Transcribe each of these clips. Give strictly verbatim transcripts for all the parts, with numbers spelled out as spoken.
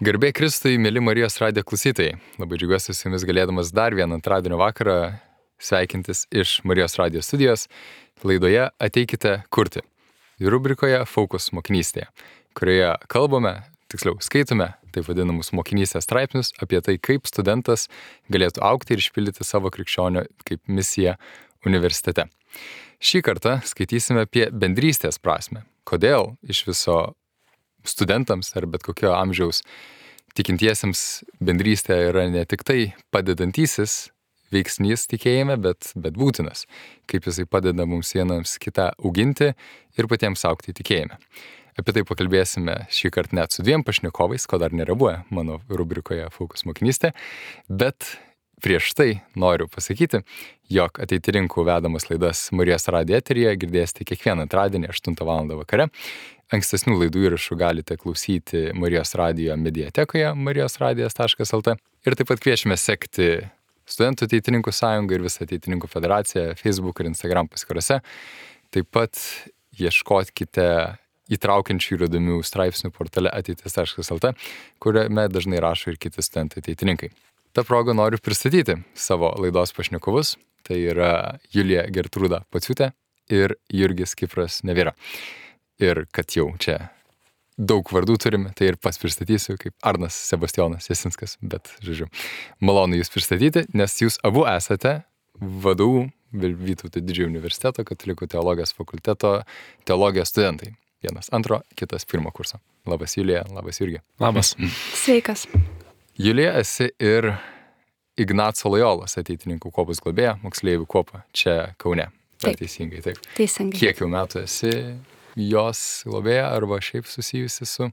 Garbė Kristui, mėly Marijos radijo klausytojai. Labai džiaugiuosi su jumis galėdamas dar vieną antradienio vakarą sveikintis iš Marijos radijo studijos laidoje Ateikite kurti. Ir rubrikoje Fokus mokinystėje, kurioje kalbame, tiksliau skaitome taip vadinamus mokinystės straipsnius apie tai, kaip studentas galėtų augti ir išpildyti savo krikščionio kaip misiją universitete. Šį kartą skaitysime apie bendrystės prasme. Kodėl iš viso studentams ar bet kokio amžiaus tikintiesiems bendrystė yra ne tik tai padedantysis veiksnys tikėjime, bet, bet būtinas, kaip jisai padeda mums vienams kitą auginti ir patiems augti tikėjime. Apie tai pakalbėsime šį kartą net su dviem pašnekovais, ko dar nėra buvę mano rubrikoje Fokus mokinystė, bet prieš tai noriu pasakyti, jog ateitininkų vedamas laidas Marijos radijo eteryje girdėsite kiekvieną antradienį aštuntą valandą vakare. Ankstesnių laidų įrašų galite klausyti Marijos radijo mediatekoje marijos radijas taškas el te ir taip pat kviečiame sekti Studentų ateitininkų sąjungą ir visą ateitininkų federaciją Facebook ir Instagram paskyrose. Taip pat ieškokite įtraukiančių ir įdomių straipsnių portale ateitis taškas el te, kuriame dažnai rašo ir kiti studentai ateitininkai. Ta proga noriu pristatyti savo laidos pašnekovus. Tai yra Julija Gertrūda Pociūtė ir Jurgis Kipras Nevėra. Ir kad jau čia daug vardų turime, tai ir pats pristatysiu kaip Arnas Sebastijonas Jasinskas, bet, žodžiu, malonu jūs pristatyti, nes jūs abu esate vadovų Vytauto didžiojo universiteto katalikų teologijos fakulteto teologijos studentai. Vienas antro, kitas pirmo kurso. Labas Julija, labas Jurgi. Labas. Sveikas. Julija, esi ir Ignaco Lojolos ateitininkų kuopos globėja, moksleivių kuopa čia Kaune. Taip. Teisingai, taip. Teisingai. Kiek jau metų esi jos globėja arba šiaip susijusi su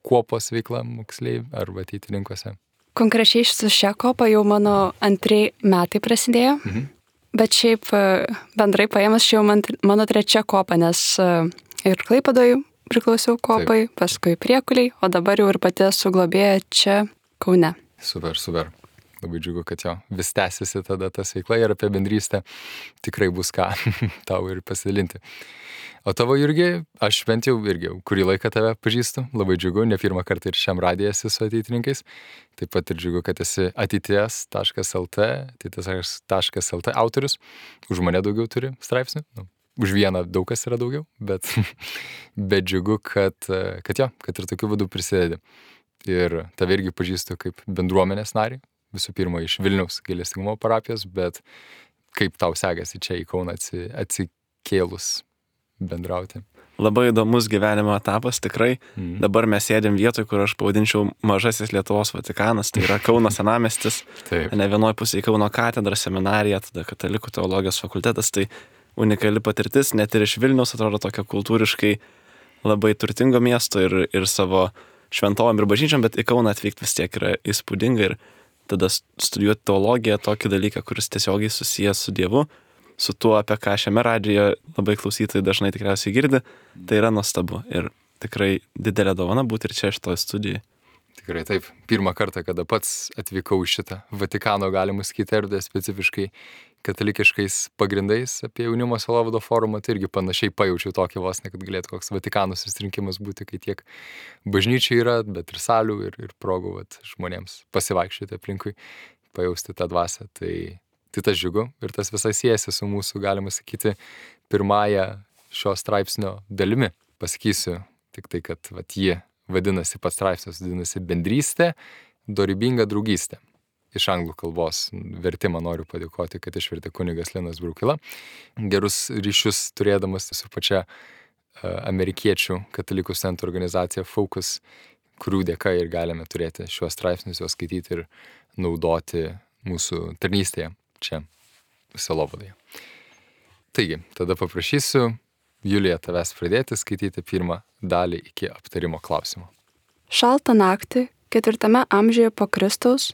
kuopos veikla moksleivių arba ateitininkuose? Konkrečiai su šia kopa jau mano antrai metai prasidėjo, mhm. bet šiaip bendrai paėmus čia jau man, mano trečia kopa, nes ir Klaipėdoje priklausiau kopai, Taip. paskui Priekuliai, o dabar jau ir pati esu globėja čia Kaune. Super, super. Labai džiugu, kad jo vis tęsiasi tada tas veikla ir apie bendrystę tikrai bus ką tau ir pasidalinti. O tavo, Jurgi, aš bent jau irgi kurį laiką tave pažįstu, labai džiugu, ne pirmą kartą ir šiam radiją esi su ateitininkais, taip pat ir džiugu, kad esi ateities taškas el te, ateities taškas el te autorius, už mane daugiau turi straipsnių, nu, už vieną daug kas yra daugiau, bet, bet džiugu, kad, kad jo, kad ir tokiu būdu prisidedi. Ir tave irgi pažįstu kaip bendruomenės narį, visų pirma iš Vilniaus gailestingumo parapijos, bet kaip tau sekasi čia į Kauną atsikėlus bendrauti? Labai įdomus gyvenimo etapas, tikrai. Mm. Dabar mes sėdėm vietoj, kur aš pavadinčiau mažasis Lietuvos Vatikanas, tai yra Kauno senamiestis, ne vienoj pusėje Kauno katedra, seminarija, tada katalikų teologijos fakultetas, tai unikali patirtis, net ir iš Vilniaus atrodo tokia kultūriškai labai turtingo miesto ir, ir savo šventovom ir bažnyčiom, bet į Kauną atvykti vis tiek yra įspūdinga ir tada studijuoti teologiją, tokį dalyką, kuris tiesiogiai susijęs su Dievu, su tuo, apie ką šiame radijoje labai klausytojai dažnai tikriausiai girdi, tai yra nuostabu ir tikrai didelė dovana būti ir čia šitoje studijoje. Tikrai taip. Pirmą kartą, kada pats atvykau į šitą Vatikano, galima sakyti, erdvę specifiškai katalikiškais pagrindais apie jaunimo sielovado forumą, tai irgi panašiai pajaučiau tokį vos, ne kad galėtų koks Vatikano susirinkimas būti, kai tiek bažnyčių yra, bet ir salių ir, ir progų vat, žmonėms pasivaikščioti aplinkui, pajausti tą dvasią. Tai, tai tas džiugu ir tas visai siejasi su mūsų, galima sakyti, pirmąją šio straipsnio dalimi. Pasakysiu tik tai, kad vat, jie vadinasi, pats straipsnis vadinasi bendrystė, dorybinga draugystė. Iš anglų kalbos vertimą noriu padėkoti, kad išvertė kunigas Linas Brukila. Gerus ryšius turėdamas su pačia amerikiečių katalikų studentų organizacija Focus, kurių dėka ir galime turėti šiuos straipsnius, juos skaityti ir naudoti mūsų tarnystėje čia sielovadoje. Taigi, tada paprašysiu Julija tavęs pradėti skaityti pirmą dalį iki aptarimo klausimo. Šaltą naktį, ketvirtame amžiuje po Kristaus,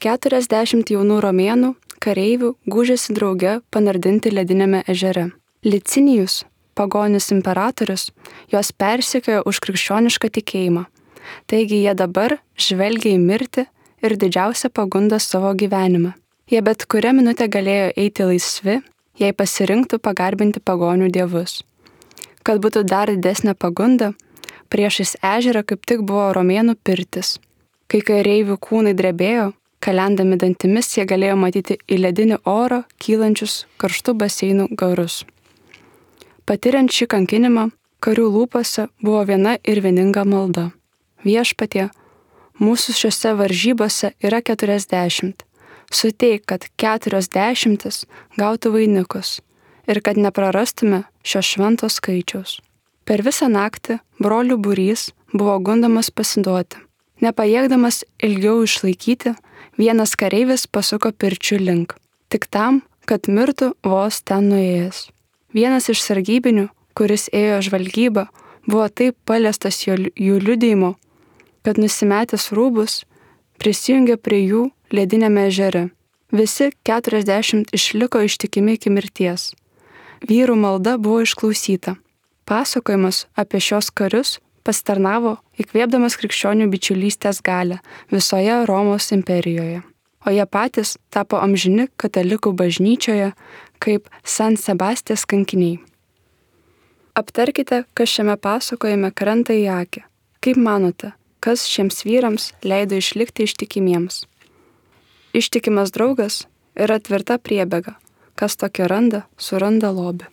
keturiasdešimt jaunų romėnų kareivių gūžėsi drauge panardinti ledinėme ežere. Licinijus, pagonis imperatorius, juos persekiojo už krikščionišką tikėjimą. Taigi jie dabar žvelgia į mirtį ir didžiausią pagundą savo gyvenimą. Jie bet kurią minutę galėjo eiti laisvi, jei pasirinktų pagarbinti pagonių dievus. Kad būtų dar didesnė pagunda, priešais ežerą kaip tik buvo romėnų pirtis. Kai kareivių kūnai drebėjo, kalendami dantimis jie galėjo matyti į ledinį orą kylančius karštų baseinų garus. Patiriant šį kankinimą, karių lūpose buvo viena ir vieninga malda. Viešpatie, mūsų šiose varžybose yra keturiasdešimt. Suteik, kad keturios dešimtis gautų vainikus ir kad neprarastume šio švento skaičiaus. Per visą naktį brolių būrys buvo gundomas pasiduoti. Nepajėgdamas ilgiau išlaikyti, vienas kareivis pasuko pirčių link, tik tam, kad mirtų vos ten nuėjęs. Vienas iš sargybinių, kuris ėjo žvalgybą, buvo taip paliestas jo, jų liudijimo, kad nusimetęs rūbus prisijungė prie jų ledinėme ežere. Visi keturiasdešimt išliko ištikimi iki mirties. Vyrų malda buvo išklausyta. Pasakojimas apie šios karius pasitarnavo įkvėpdamas krikščionių bičiulystės galią visoje Romos imperijoje. O jie patys tapo amžini katalikų bažnyčioje kaip San Sebastijos kankiniai. Aptarkite, kas šiame pasakojime krenta į akį. Kaip manote, kas šiems vyrams leido išlikti ištikimiems? Ištikimas draugas yra tvirta priebėga. Kas tokio randa, suranda lobį.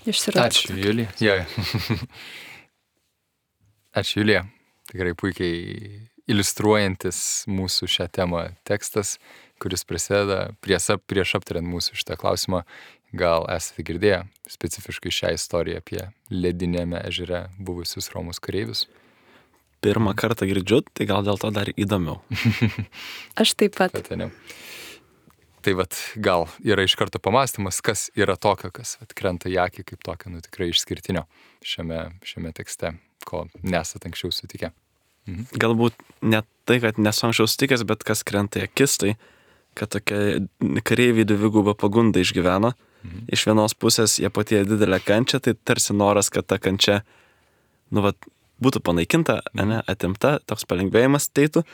Išsiradau. Ačiū, Julija. Ja. Ačiū, Julija. Tikrai puikiai iliustruojantis mūsų šią temą tekstas, kuris prasideda prieš, prieš aptariant mūsų šitą klausimą. Gal esate girdėję specifiškai šią istoriją apie ledinėme ežere buvusius Romos kareivius? Pirmą kartą girdžiu, tai gal dėl to dar įdomiau. Aš taip pat. Pataniau. Tai vat, gal yra iš karto pamastymas, kas yra tokio, kas vat, krenta į akį kaip tokio, nu tikrai išskirtinio šiame, šiame tekste, ko nesat anksčiau sutikę. Mhm. Galbūt ne tai, kad nesu anksčiau sutikęs, bet kas krenta į akis, tai kad tokia kareiviai dvigubą pagundą išgyveno. Mhm. Iš vienos pusės jie patyrė didelę kančią, tai tarsi noras, kad ta kančia nu, vat, būtų panaikinta, mhm. ne, atimta, toks palengvėjimas teitų.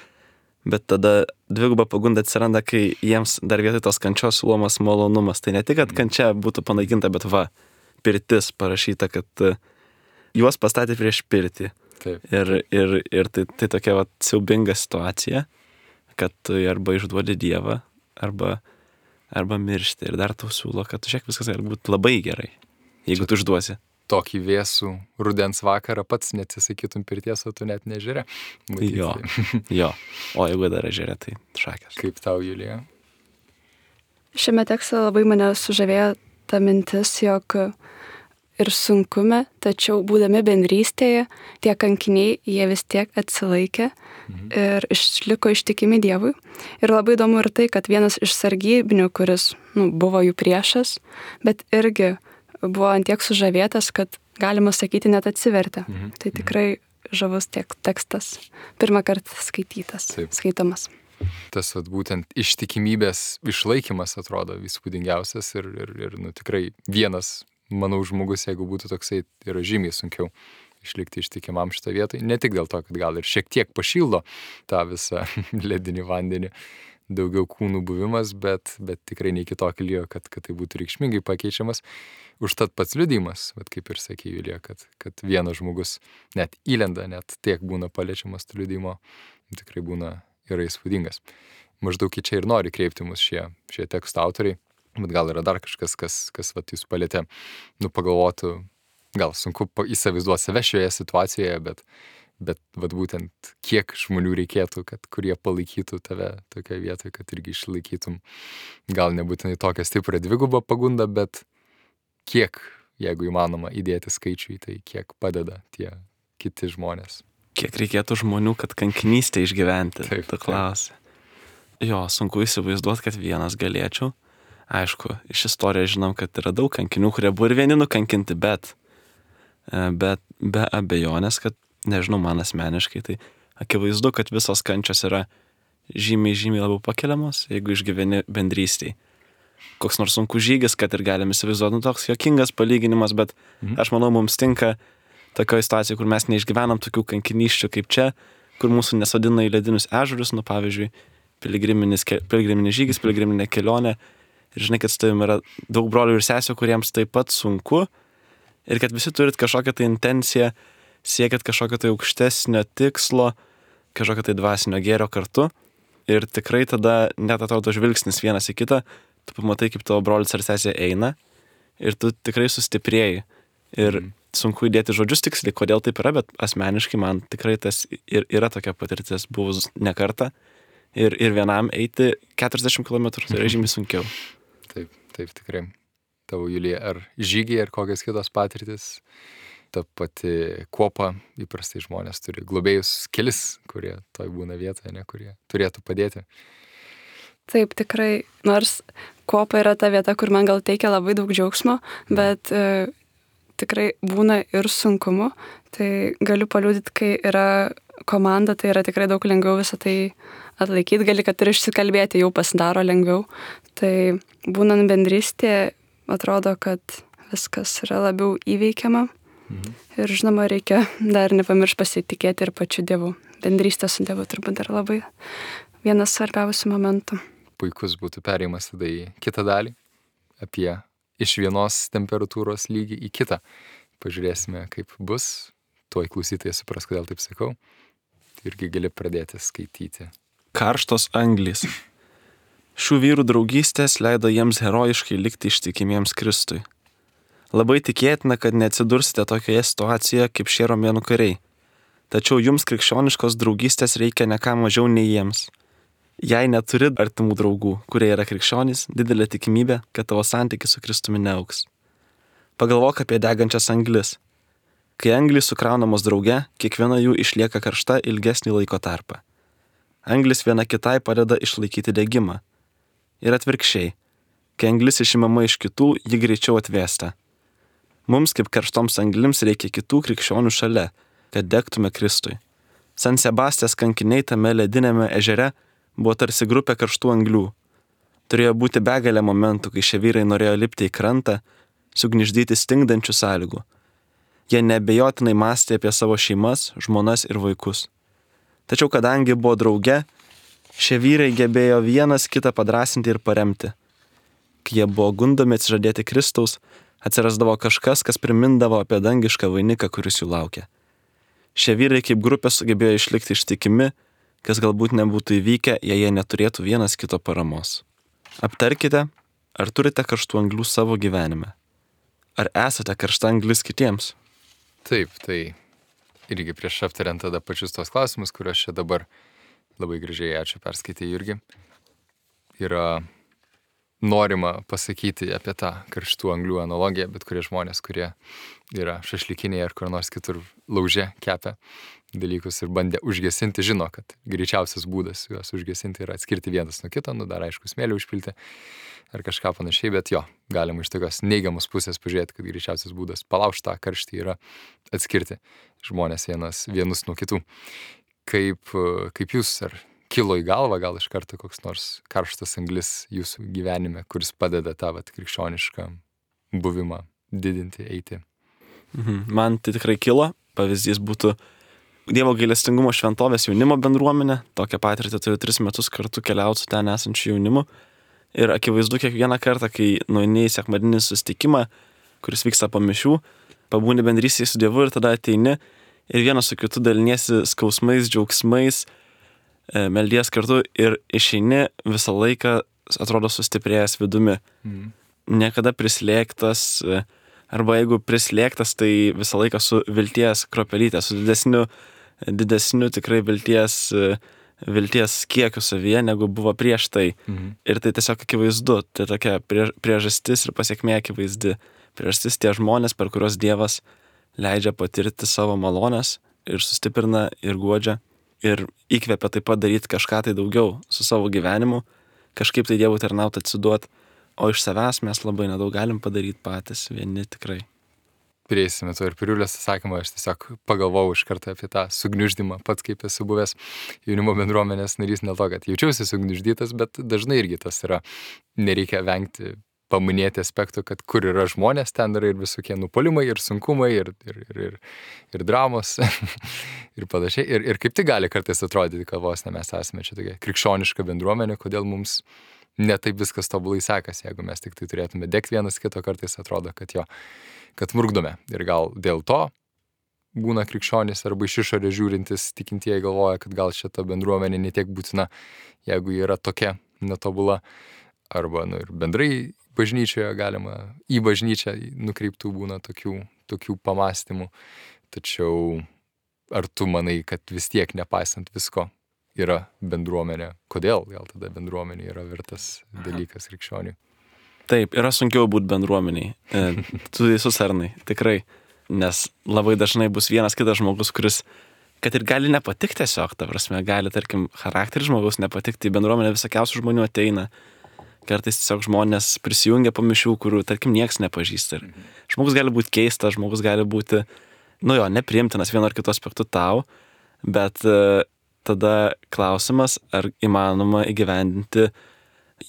Bet tada dviguba pagunda atsiranda, kai jiems dar vietoj tos kančios siūlomas malonumas. Tai ne tik, kad kančia būtų panaikinta, bet va, pirtis parašyta, kad juos pastatė prieš pirtį. Taip. Ir, ir, ir tai, tai tokia va, siaubinga situacija, kad tu arba išduodi Dievą, arba, arba miršti. Ir dar tau siūlo, kad žiūrėk, viskas gali būti labai gerai, jeigu Čia... tu išduosi. Tokį vėsų rudens vakarą pats neatsisakytum pirties, o tu net nežiūrė. Jo, jo. O jeigu dar ežerė, tai šakės. Kaip tau, Julija? Šiame tekste labai mane sužavėjo ta mintis, jog ir sunkume, tačiau būdami bendrystėje, tie kankiniai, jie vis tiek atsilaikė mhm. ir išliko ištikimi Dievui. Ir labai įdomu ir tai, kad vienas iš sargybinių, kuris nu, buvo jų priešas, bet irgi buvo antiek sužavėtas, kad galima sakyti net atsivertė. Mhm. Tai tikrai žavus tiek tekstas. Pirmą kartą skaitytas, Taip. skaitomas. Tas vat, būtent ištikimybės išlaikymas atrodo įspūdingiausias ir, ir, ir nu, tikrai vienas, manau, žmogus, jeigu būtų toksai, yra žymiai sunkiau išlikti ištikimam šitą vietą. Ne tik dėl to, kad gal ir šiek tiek pašildo tą visą ledinį vandenį, daugiau kūnų buvimas, bet, bet tikrai ne iki tokio lygio, kad, kad tai būtų reikšmingai pakeičiamas. Užtat pats liudijimas, vat kaip ir sakė Julija, kad, kad vienas žmogus net įlenda, net tiek būna paliečiamas tų liudijimo, tikrai būna yra įspūdingas. Maždaug į čia ir nori kreipti mus šie, šie teksto autoriai, bet gal yra dar kažkas, kas, kas vat jūs palietė, nu pagalvotų, gal sunku įsivaizduoti save šioje situacijoje, bet Bet vat būtent kiek žmonių reikėtų, kad kurie palaikytų tave tokioje vietoje, kad irgi išlaikytum gal nebūtinai tokią stiprią dvigubą pagundą, bet kiek, jeigu įmanoma, įdėti skaičių į tai, kiek padeda tie kiti žmonės. Kiek reikėtų žmonių, kad kankinystę išgyventi, taip, tu klausi. Jo, sunku įsivaizduoti, kad vienas galėčiau. Aišku, iš istorijos žinom, kad yra daug kankinių, kurie buvo ir vieni nukankinti, bet, bet be abejonės, kad nežinau, man asmeniškai, tai akivaizdu, kad visos kančios yra žymiai, žymiai labiau pakeliamos, jeigu išgyveni bendrystėj. Koks nors sunkus žygis, kad ir galim įsivaizduoti, nu toks jokingas palyginimas, bet mhm. aš manau, mums tinka tokioje situacijoje, kur mes neišgyvenam tokių kankinysčių kaip čia, kur mūsų nesodina į ledinius ežerius, nu pavyzdžiui, piligriminis, piligriminis žygis, piligriminė kelionė. Ir žinai, kad su tavim yra daug brolių ir sesių, kuriems taip pat sunku, ir kad visi turit kažkokią tai intenciją, siekiat kažkokio tai aukštesnio tikslo, kažkokio tai dvasinio gėrio kartu ir tikrai tada net atrodo žvilgsnis vienas į kitą, tu pamatai, kaip tavo brolis ar sesė eina ir tu tikrai sustiprėjai. Ir mm. sunku įdėti žodžius tiksliai, kodėl taip yra, bet asmeniškai man tikrai tas ir yra tokia patirtis buvus ne kartą. Ir, ir vienam eiti keturiasdešimt kilometrų, tai yra žymiai sunkiau. Taip, taip tikrai. Tavo, Julija, ar žygiai, ar kokios kitos patirtis? Ta pati kuopa, įprastai žmonės turi globėjus kelis, kurie toj būna vietoje, ne, kurie turėtų padėti. Taip, tikrai, nors kuopa yra ta vieta, kur man gal teikia labai daug džiaugsmo, bet e, tikrai būna ir sunkumu. Tai galiu paliudyti, kai yra komanda, tai yra tikrai daug lengviau visą tai atlaikyti, gali, kad ir išsikalbėti jau pasidaro lengviau. Tai būnant bendrystėje, atrodo, kad viskas yra labiau įveikiama. Mhm. Ir žinoma, reikia dar nepamiršti pasitikėti ir pačiu Dievu. Bendrystė su Dievu turbūt dar labai vienas svarbiausių momentų. Puikus būtų perėjimas tada į kitą dalį, apie iš vienos temperatūros lygį į kitą. Pažiūrėsime, kaip bus. Tuoj klausytojai supras, kodėl taip sakau. Irgi gali pradėti skaityti. Karštos anglys. Šių vyrų draugystės leido jiems herojiškai likti ištikimiems Kristui. Labai tikėtina, kad neatsidursite tokioje situacijoje kaip šie romėnų kariai. Tačiau jums krikščioniškos draugystės reikia ne ką mažiau nei jiems. Jei neturi artimų draugų, kurie yra krikščionys, didelė tikimybė, kad tavo santykis su Kristumi neaugs. Pagalvok apie degančias anglis. Kai anglys sukraunamos drauge, kiekviena jų išlieka karšta ilgesnį laiko tarpą. Anglis viena kitai padeda išlaikyti degimą. Ir atvirkščiai, kai anglis išimama iš kitų, ji greičiau atvėsta. Mums kaip karštoms anglims reikia kitų krikščionių šalia, kad degtume Kristui. San Sebastijos kankiniai tame ledinėme ežere buvo tarsi grupė karštų anglių. Turėjo būti begalė momentų, kai šie vyrai norėjo lipti į krantą, sugniždyti stingdančių sąlygų. Jie neabejotinai mąstė apie savo šeimas, žmonas ir vaikus. Tačiau kadangi buvo drauge, šie vyrai gebėjo vienas kitą padrąsinti ir paremti. Kai jie buvo gundomi atsižadėti Kristaus, atsirasdavo kažkas, kas primindavo apie dangišką vainiką, kuris jų laukia. Šie vyrai kaip grupė sugebėjo išlikti ištikimi, kas galbūt nebūtų įvykę, jei jie neturėtų vienas kito paramos. Aptarkite, ar turite karštų anglių savo gyvenime. Ar esate karšta anglis kitiems? Taip, tai irgi prieš aptariant tada pačius tos klausimus, kuriuos čia dabar labai gražiai, ačiū, perskaitė Jurgi, yra norima pasakyti apie tą karštų anglių analogiją, bet kurie žmonės, kurie yra šašlikiniai ar kur nors kitur lauže kepia dalykus ir bandė užgesinti, žino, kad greičiausias būdas juos užgesinti yra atskirti vienas nuo kito, nu dar aišku smėlį užpilti ar kažką panašiai, bet jo, galima iš tokios neigiamos pusės pažiūrėti, kad greičiausias būdas palaužti tą karštį yra atskirti žmonės vienas, vienus nuo kitų. Kaip, kaip jūs, ar kilo į galvą gal iš karto koks nors karštas anglis jūsų gyvenime, kuris padeda tą vat, krikščionišką buvimą didinti, eiti? Mhm. Man tai tikrai kilo. Pavyzdys būtų Dievo gailestingumo šventovės jaunimo bendruomenė. Tokią patirtį turiu tris metus kartu keliauti su ten esančiu jaunimu. Ir akivaizdu kiekvieną kartą, kai nueini į sekmadieninį susitikimą, kuris vyksta po mišių, pabūni bendrystėje su Dievu ir tada ateini ir vienas su kitu daliniesi skausmais, džiaugsmais, meldies kartu ir išeini visą laiką, atrodo, sustiprėjęs vidumi. Mm. Niekada prislėgtas, arba jeigu prislėgtas, tai visą laiką su vilties kropelytė, su didesniu, didesniu tikrai vilties, vilties kiekiu savyje, negu buvo prieš tai. Mm. Ir tai tiesiog akivaizdu, tai tokia priežastis ir pasiekmė akivaizdi. Priežastis tie žmonės, per kuriuos Dievas leidžia patirti savo malonės ir sustiprina ir guodžia. Ir įkvepia taip pat daryti kažką tai daugiau su savo gyvenimu, kažkaip tai Dievui tarnauti, atsiduoti, o iš savęs mes labai nedaug galim padaryti patys, vieni tikrai. Prieisime to ir Piriulės atsakymą, aš tiesiog pagalvojau iš karto apie tą sugniuždymą, pats kaip esu buvęs jaunimo bendruomenės narys, ne to, kad jaučiausi sugniuždytas, bet dažnai irgi tas yra, nereikia vengti paminėti aspektų, kad kur yra žmonės, ten yra ir visokie nupolimai, ir sunkumai, ir, ir, ir, ir, ir dramos, ir panašiai. Ir, ir kaip tai gali kartais atrodyti, kad vos ne mes esame čia tokia krikščioniška bendruomenė, kodėl mums ne taip viskas tobulai sekasi, jeigu mes tik tai turėtume degti vienas kito, kartais atrodo, kad jo, kad murkdome. Ir gal dėl to būna krikščionys arba iš išorės žiūrintis tikintieji galvoja, kad gal šita bendruomenė netiek būtina, jeigu ji yra tokia netobula. Arba nu, ir bendrai bažnyčioje galima į bažnyčią nukreiptų būna tokių, tokių pamastymų. Tačiau ar tu manai, kad vis tiek nepaisant visko yra bendruomenė? Kodėl gal tada bendruomenė yra vertas dalykas krikščioniui? Taip, yra sunkiau būti bendruomeniai. E, tu visus arnai, tikrai. Nes labai dažnai bus vienas kitas žmogus, kuris, kad ir gali nepatikti tiesiog, ta prasme, gali, tarkim, charakteris žmogaus nepatikti, į bendruomenę visokiausių žmonių ateina. Kartais tiesiog žmonės prisijungia po mišių, kurių, tarkim, nieks nepažįsta. Ir žmogus gali būti keistas, žmogus gali būti, nu jo, nepriimtinas vienu ar kitu aspektu tau, bet e, tada klausimas, ar įmanoma įgyvendinti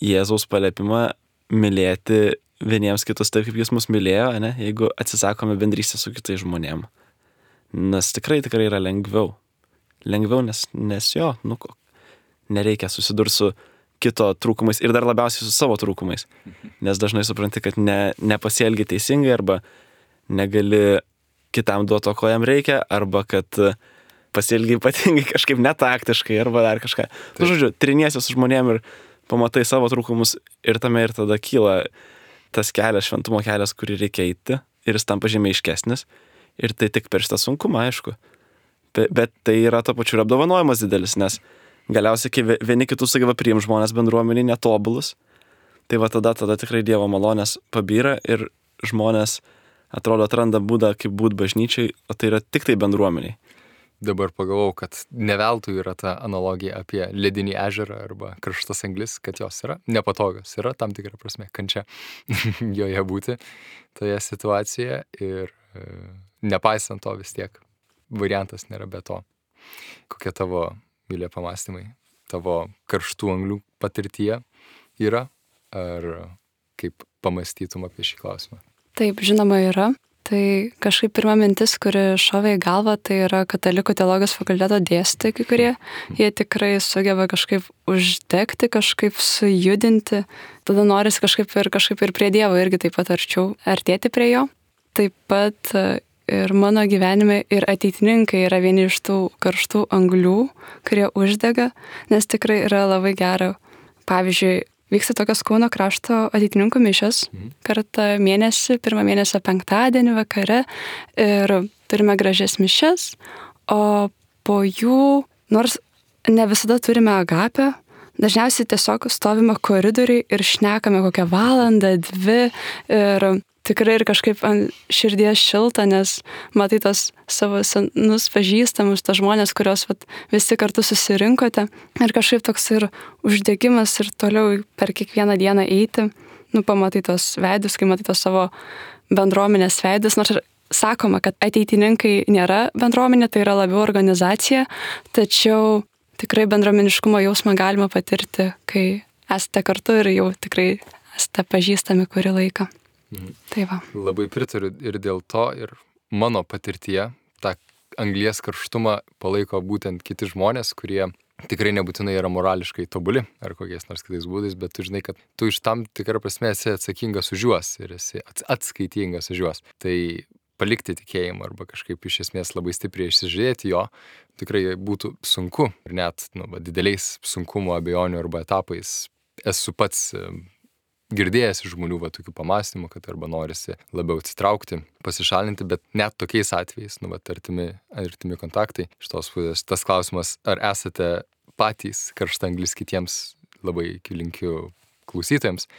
Jėzaus paliepimą mylėti vieniems kitus taip, kaip jis mus mylėjo, ne? Jeigu atsisakome bendrystę su kitais žmonėm. Nes tikrai, tikrai yra lengviau. Lengviau, nes, nes jo, nu, nereikia susidurti su kito trūkumais ir dar labiausiai su savo trūkumais. Nes dažnai supranti, kad ne, nepasielgi teisingai arba negali kitam duoti to, ko jam reikia, arba kad pasielgi ypatingai kažkaip netaktiškai arba dar kažką. Nu, žodžiu, triniesi su žmonėm ir pamatai savo trūkumus ir tame ir tada kyla tas kelias, šventumo kelias, kurį reikia eiti ir jis tampa žymiai aiškesnis ir tai tik per šitą sunkumą, aišku. Be, bet tai yra to pačiu ir apdovanojimas didelis, nes galiausiai, kai vieni kitus sugeba priimti žmonės bendruomenį netobulus, tai va tada, tada tikrai Dievo malonės pabyra ir žmonės atrodo atranda būdą, kaip būti bažnyčiai, o tai yra tik tai bendruomeniai. Dabar pagalvojau, kad neveltui yra ta analogija apie ledinį ežerą arba karštas anglis, kad jos yra nepatogios, yra tam tikra prasme kančia joje būti toje situacijoje ir e, nepaisant to vis tiek variantas nėra be to. Kokie tavo, Vilija, pamastymai, tavo karštų anglių patirtyje yra, ar kaip pamastytum apie šį klausimą? Taip, žinoma, yra. Tai kažkaip pirma mintis, kuri šovė į galvą, tai yra katalikų teologijos fakulteto dėstytojai kai kurie. Jie tikrai sugeba kažkaip uždegti, kažkaip sujudinti. Tada norisi kažkaip ir, kažkaip ir prie Dievo irgi taip pat arčiau artėti prie jo. Taip pat ir mano gyvenime ir ateitininkai yra vieni iš tų karštų anglių, kurie uždega, nes tikrai yra labai gera. Pavyzdžiui, vyksta tokios Kauno krašto ateitininkų mišios kartą mėnesį, pirmą mėnesio penktadienį vakare ir turime gražias mišias, o po jų, nors ne visada turime agapę, dažniausiai tiesiog stovime koridoriai ir šnekame kokią valandą, dvi ir tikrai ir kažkaip ant širdies šilta, nes matai tos savo senus pažįstamus, tos žmonės, kurios vat, visi kartu susirinkote ir kažkaip toks ir uždegimas ir toliau per kiekvieną dieną eiti, nu pamatai tos veidus, kai matai tos savo bendruomenės veidus, nors ir sakoma, kad ateitininkai nėra bendruomenė, tai yra labiau organizacija, tačiau tikrai bendruomeniškumo jausmą galima patirti, kai esate kartu ir jau tikrai esate pažįstami kurį laiką. Mhm. Tai va. Labai pritariu ir dėl to, ir mano patirtyje tą anglies karštumą palaiko būtent kiti žmonės, kurie tikrai nebūtinai yra morališkai tobuli ar kokiais nors kitais būdais, bet tu žinai, kad tu iš tam tikrą prasme esi atsakingas už juos ir esi atskaitingas už juos. Tai palikti tikėjimą arba kažkaip iš esmės labai stipriai išsižiūrėti jo tikrai būtų sunku ir net nu, dideliais sunkumo, abejonių arba etapais esu pats girdėjęs iš žmonių va, tokių pamastymų, kad arba norisi labiau atsitraukti, pasišalinti, bet net tokiais atvejais, nu, va, artimi, artimi kontaktai, iš tos pusės, tas klausimas, ar esate patys karštanglis kitiems, labai linkiu klausytojams,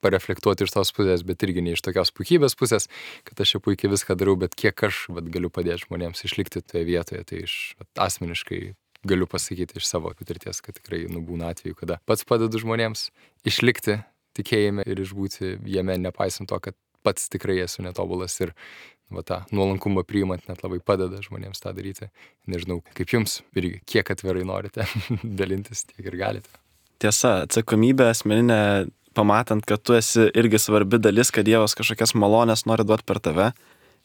pareflektuoti iš tos pusės, bet irgi ne iš tokios puikybės pusės, kad aš čia puikiai viską darau, bet kiek aš vat, galiu padėti žmonėms išlikti toje vietoje, tai iš vat, asmeniškai galiu pasakyti iš savo patirties, kad tikrai nu, būna atveju, kada pats padedu žmonėms išlikti tikėjime ir išbūti jame, nepaisant to, kad pats tikrai esu netobulas ir va, tą nuolankumą priimant net labai padeda žmonėms tą daryti. Nežinau, kaip jums irgi, kiek atvirai norite dalintis, tiek ir galite. Tiesa, atsakomybė asmeninė, pamatant, kad tu esi irgi svarbi dalis, kad Dievas kažkokias malonės nori duoti per tave,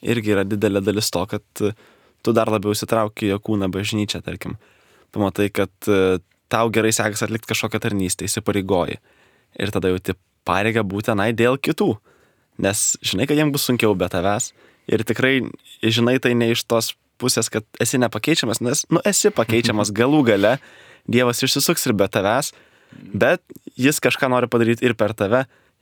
irgi yra didelė dalis to, kad tu dar labiau įsitrauki į jo kūną bažnyčią, tarkim. Pamatai, kad tau gerai sekasi atlikti kažkokią tarnystę, įsipareigoji. Ir tada jauti pareigą būti tenai dėl kitų, nes žinai, kad jiems bus sunkiau be tavęs ir tikrai žinai tai ne iš tos pusės, kad esi nepakeičiamas, nes, nu, esi pakeičiamas galų gale, Dievas išsisuks ir be tavęs, bet jis kažką nori padaryti ir per tave,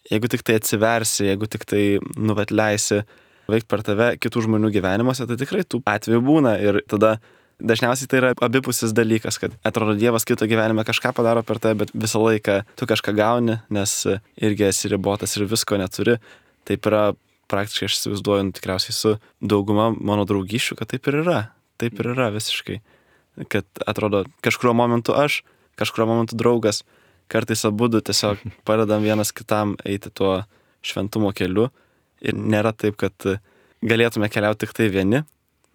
jeigu tik tai atsiversi, jeigu tik tai, nu, vat leisi veikti per tave kitų žmonių gyvenimuose, tai tikrai tų atvejų būna ir tada dažniausiai tai yra abipusis dalykas, kad atrodo Dievas kito gyvenime kažką padaro per tave, bet visą laiką tu kažką gauni, nes irgi esi ribotas ir visko neturi. Taip yra praktiškai, aš įsivaizduoju, nu, tikriausiai su dauguma mano draugysčių, kad taip ir yra. Taip ir yra visiškai. Kad atrodo kažkurio momentu aš, kažkurio momentu draugas, kartais abudu tiesiog padedam vienas kitam eiti tuo šventumo keliu ir nėra taip, kad galėtume keliauti tik tai vieni,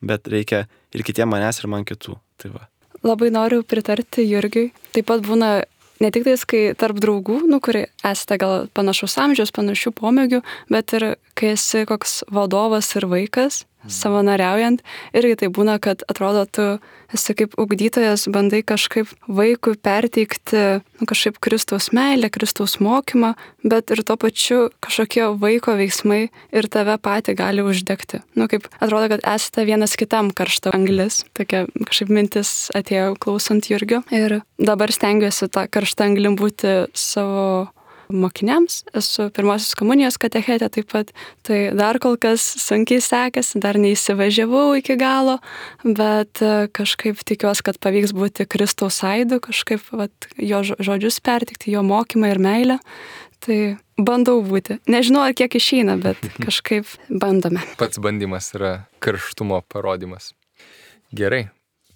bet reikia ir kitiem manęs ir man kitų. Tai va. Labai noriu pritarti Jurgiui. Taip pat būna ne tik tais, kai tarp draugų, nu, kurie esate gal panašus amžiaus, panašių pomėgių, bet ir kai esi koks vadovas ir vaikas, savanoriaujant, irgi tai būna, kad atrodo, tu esi kaip ugdytojas, bandai kažkaip vaikui perteikti, nu, kažkaip Kristaus meilę, Kristaus mokymą, bet ir tuo pačiu kažkokie vaiko veiksmai ir tave patį gali uždegti. Nu, kaip atrodo, kad esate vienas kitam karšta anglis. Tokia kažkaip mintis atėjo klausant Jurgio. Ir dabar stengiuosi tą karštą anglim būti savo mokiniams. Esu pirmosios komunijos katechetė taip pat, tai dar kol kas sunkiai sekasi, dar neįsivažiavau iki galo, bet kažkaip tikiuosi, kad pavyks būti Kristaus aidu, kažkaip vat, jo žodžius pertikti, jo mokymą ir meilę. Tai bandau būti. Nežinau, ar kiek išeina, bet kažkaip bandome. Pats bandymas yra karštumo parodimas. Gerai,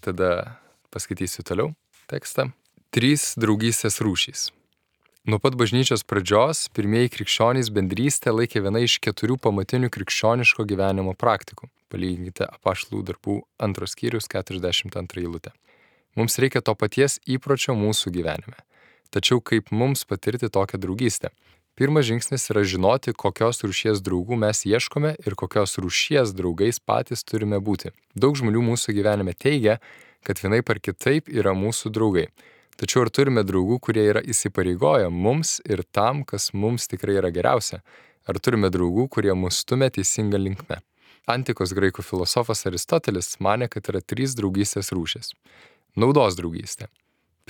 tada paskaitysiu toliau tekstą. Trys draugystės rūšys. Nuo pat bažnyčios pradžios pirmieji krikščionys bendrystę laikė viena iš keturių pamatinių krikščioniško gyvenimo praktikų. Palyginkite Apaštalų darbų antros skyrius keturiasdešimt antrą eilutę. Mums reikia to paties įpročio mūsų gyvenime. Tačiau kaip mums patirti tokią draugystę? Pirmas žingsnis yra žinoti, kokios rūšies draugų mes ieškome ir kokios rūšies draugais patys turime būti. Daug žmonių mūsų gyvenime teigia, kad vienaip ar kitaip yra mūsų draugai. Tačiau ar turime draugų, kurie yra įsipareigoję mums ir tam, kas mums tikrai yra geriausia? Ar turime draugų, kurie mus stumia teisinga linkme? Antikos graikų filosofas Aristotelis manė, kad yra trys draugystės rūšis. Naudos draugystė.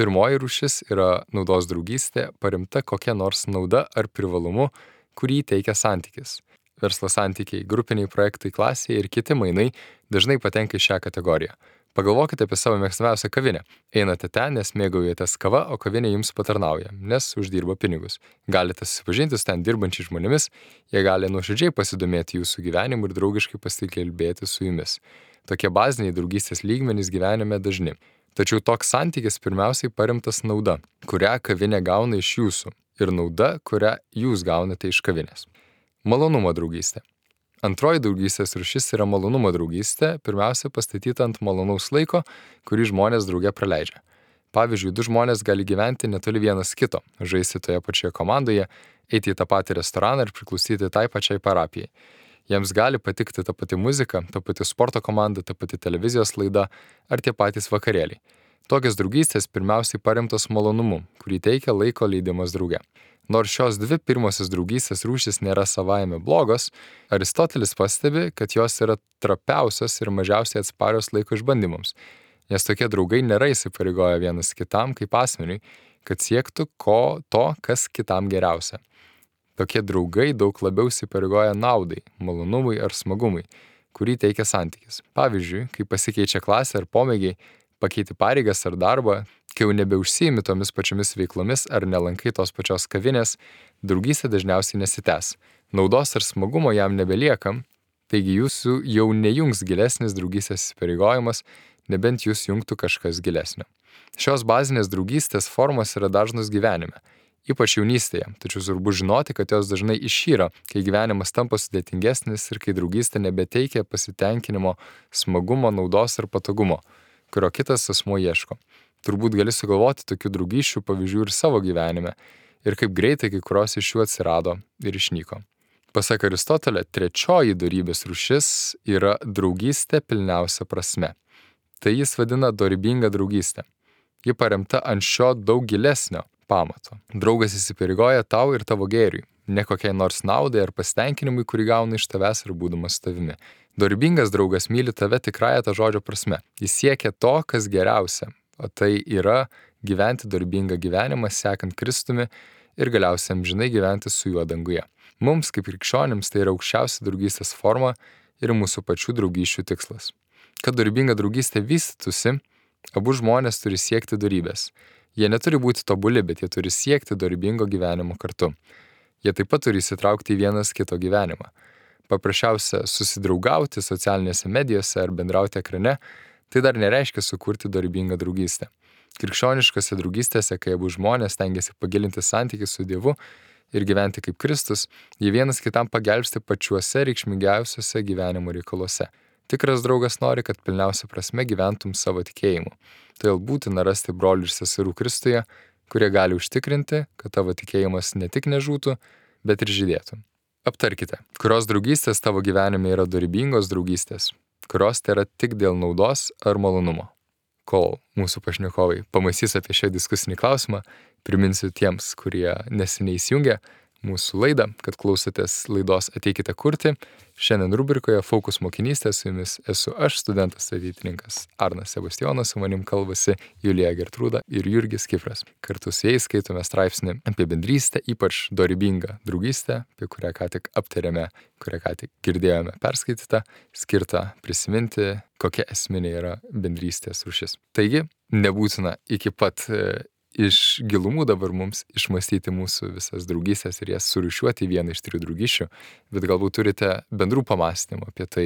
Pirmoji rūšis yra naudos draugystė, paremta kokia nors nauda ar privalumu, kurį teikia santykis. Verslo santykiai, grupiniai projektai klasėje ir kiti mainai dažnai patenka į šią kategoriją. Pagalvokite apie savo mėgstamiausią kavinę. Einate ten, nes mėgaujatės kava, o kavinė jums patarnauja, nes uždirba pinigus. Galite susipažinti su ten dirbančiais žmonėmis, jie gali nuoširdžiai pasidomėti jūsų gyvenimu ir draugiškai pasikalbėti su jumis. Tokie baziniai draugystės lygmenys gyvenime dažni. Tačiau toks santykis pirmiausiai paremtas nauda, kurią kavinė gauna iš jūsų, ir nauda, kurią jūs gaunate iš kavinės. Malonumo draugystė. Antroji draugystės rūšis yra malonumo draugystė, pirmiausia pastatyta ant malonaus laiko, kurį žmonės drauge praleidžia. Pavyzdžiui, du žmonės gali gyventi netoli vienas kito, žaisti toje pačioje komandoje, eiti į tą patį restoraną ir priklausyti tai pačiai parapijai. Jiems gali patikti ta pati muzika, ta pati sporto komanda, ta pati televizijos laida ar tie patys vakarėliai. Tokios draugystės pirmiausiai paremtos malonumu, kurį teikia laiko leidimas drauge. Nors šios dvi pirmosios draugystės rūšys nėra savaime blogos, Aristotelis pastebi, kad jos yra trapiausios ir mažiausiai atsparios laiko išbandymams, nes tokie draugai nėra įsipareigoję vienas kitam kaip asmeniui, kad siektų ko to, kas kitam geriausia. Tokie draugai daug labiau įsipareigoja naudai, malonumui ar smagumui, kurį teikia santykis. Pavyzdžiui, kai pasikeičia klasė ar pomėgiai, pakeiti pareigas ar darbą, kai jau nebeužsiimi tomis pačiomis veiklomis ar nelankai tos pačios kavinės, draugystė dažniausiai nesitęs. Naudos ar smagumo jam nebeliekam, taigi jūsų jau nejungs gilesnis draugystės įsipareigojimas, nebent jūs jungtų kažkas gilesnio. Šios bazinės draugystės formos yra dažnos gyvenime, ypač jaunystėje, tačiau svarbu žinoti, kad jos dažnai išyra, kai gyvenimas tampa sudėtingesnis ir kai draugystė nebeteikia pasitenkinimo, smagumo, naudos ar patogumo, kurio kitas asmuo ieško. Turbūt gali sugalvoti tokių draugysčių pavyzdžių ir savo gyvenime, ir kaip greitai kai kurios iš jų atsirado ir išnyko. Pasak Aristotelio, trečioji dorybės rūšis yra draugystė pilniausia prasme. Tai jis vadina dorybinga draugystė. Ji paremta ant šio daug gilesnio pamato. Draugas įsipareigoja tau ir tavo gėriui, ne kokiai nors naudai ar pasitenkinimui, kurį gauna iš tavęs ar būdamas tavimi. Dorybingas draugas myli tave tikrąją tą žodžio prasme. Jis siekia to, kas geriausia, o tai yra gyventi dorybingą gyvenimą, sekant Kristumi ir galiausiai amžinai gyventi su juo danguje. Mums, kaip krikščionims, tai yra aukščiausia draugystės forma ir mūsų pačių draugysčių tikslas. Kad dorybinga draugystė vystytųsi, abu žmonės turi siekti dorybės. Jie neturi būti tobuli, bet jie turi siekti dorybingo gyvenimo kartu. Jie taip pat turi įsitraukti į vienas kito gyvenimą. Paprasčiausia susidraugauti socialinėse medijose ar bendrauti ekrane, tai dar nereiškia sukurti dorybingą draugystę. Krikščioniškose draugystėse, kai abu žmonės stengiasi pagilinti santykį su Dievu ir gyventi kaip Kristus, jie vienas kitam pagelbsti pačiuose reikšmingiausiuose gyvenimo reikaluose. Tikras draugas nori, kad pilniausia prasme gyventum savo tikėjimu. Todėl būtina rasti brolių ir seserų Kristuje, kurie gali užtikrinti, kad tavo tikėjimas ne tik nežūtų, bet ir žydėtų. Aptarkite, kurios draugystės tavo gyvenime yra dorybingos draugystės, kurios tai yra tik dėl naudos ar malonumo. Kol mūsų pašnekovai pamąstys apie šią diskusinį klausimą, priminsiu tiems, kurie neseniai įsijungė mūsų laidą, kad klausotės laidos Ateikite kurti. Šiandien rubrikoje Fokus mokinystė su jumis esu aš, studentas ateitininkas Arnas Sebastijonas, su manim kalbasi Julija Gertrūda ir Jurgis Kifras. Kartu su jais skaitome straipsnį apie bendrystę, ypač dorybingą draugystę, apie kurią ką tik aptarėme, kurią ką tik girdėjome perskaitytą, skirtą prisiminti, kokia esminė yra bendrystės rūšis. Taigi, nebūtina iki pat iš gilumų dabar mums išmastyti mūsų visas draugystės ir jas surūšiuoti į vieną iš trijų draugysčių, bet galbūt turite bendrų pamąstymų apie tai,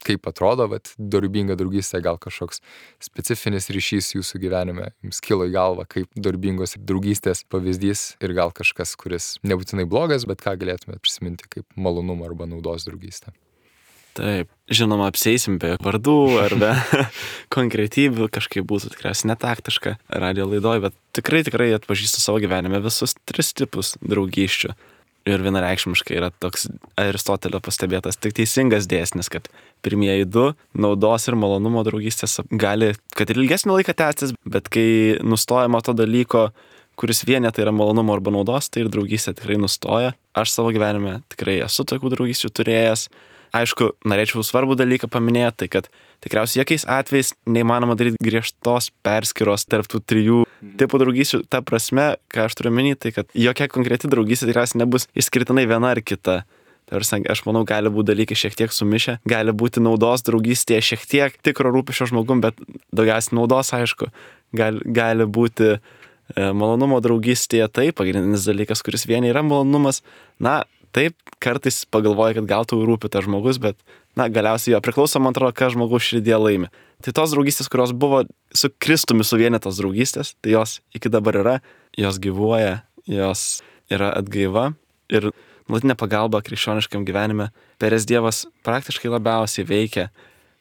kaip atrodo vat, dorybinga draugystė, gal kažkoks specifinis ryšys jūsų gyvenime jums kilo į galvą, kaip dorybingos draugystės pavyzdys ir gal kažkas, kuris nebūtinai blogas, bet ką galėtumėte prisiminti kaip malonumo arba naudos draugystę. Taip, žinoma, apseisim be vardų ar be konkretybių, kažkaip būtų tikriausiai netaktiška radio laidoj, bet tikrai, tikrai atpažįstu savo gyvenime visus tris tipus draugysčių. Ir vienareikšmiškai yra toks Aristotelio pastebėtas tik teisingas dėsnis, kad pirmieji du, naudos ir malonumo draugystės, gali, kad ir ilgesnį laiką tęstis, bet kai nustojama to dalyko, kuris vienė tai yra malonumo arba naudos, tai ir draugystė tikrai nustoja. Aš savo gyvenime tikrai esu tokių draugysčių turėjęs. Aišku, norėčiau svarbų dalyką paminėti, tai kad tikriausiai jokiais atvejais neįmanoma daryti griežtos perskyros tarp tų trijų tipų draugysčių. Ta prasme, ką aš turiu minėti, tai kad jokia konkreti draugystė tikriausiai nebus išskirtinai viena ar kita. Tarsi, aš manau, gali būti dalykai šiek tiek sumišę, gali būti naudos draugystėje šiek tiek tikro rūpesčio žmogum, bet daugiausiai naudos, aišku, gali, gali būti e, malonumo draugystėje, tai pagrindinis dalykas, kuris vieni yra malonumas. Na, taip, kartais pagalvoja, kad gal tau rūpi tas žmogus, bet, na, galiausiai jo priklauso, man atrodo, ką žmogus širdie laimi. Tai tos draugystės, kurios buvo su Kristumi suvienytos draugystės, tai jos iki dabar yra, jos gyvuoja, jos yra atgaiva ir nuolatinė pagalba krikščioniškam gyvenime. Perės Dievas praktiškai labiausiai veikia,